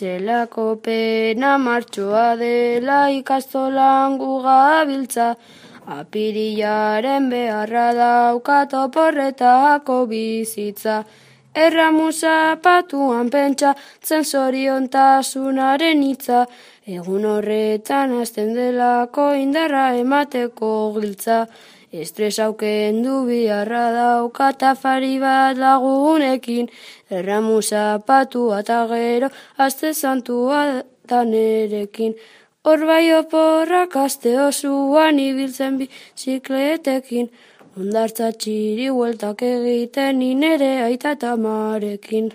zelako pena martxoa dela ikastolan gugabiltza, apirilaren beharra daukat oporretako bizitza. Erramu zapatuan pentsatzen zoriontasunaren hitza, egun horretan hasten delako indarra emateko giltza. Estresa kendu biharra daukat afari bat lagunekin, erramu zapatua eta gero aste santua da nerekin. Hor bai oporrak aste osoan ibiltzen bizikletekin, hondartza txiri hueltak egiten ni nere aita eta amarekin.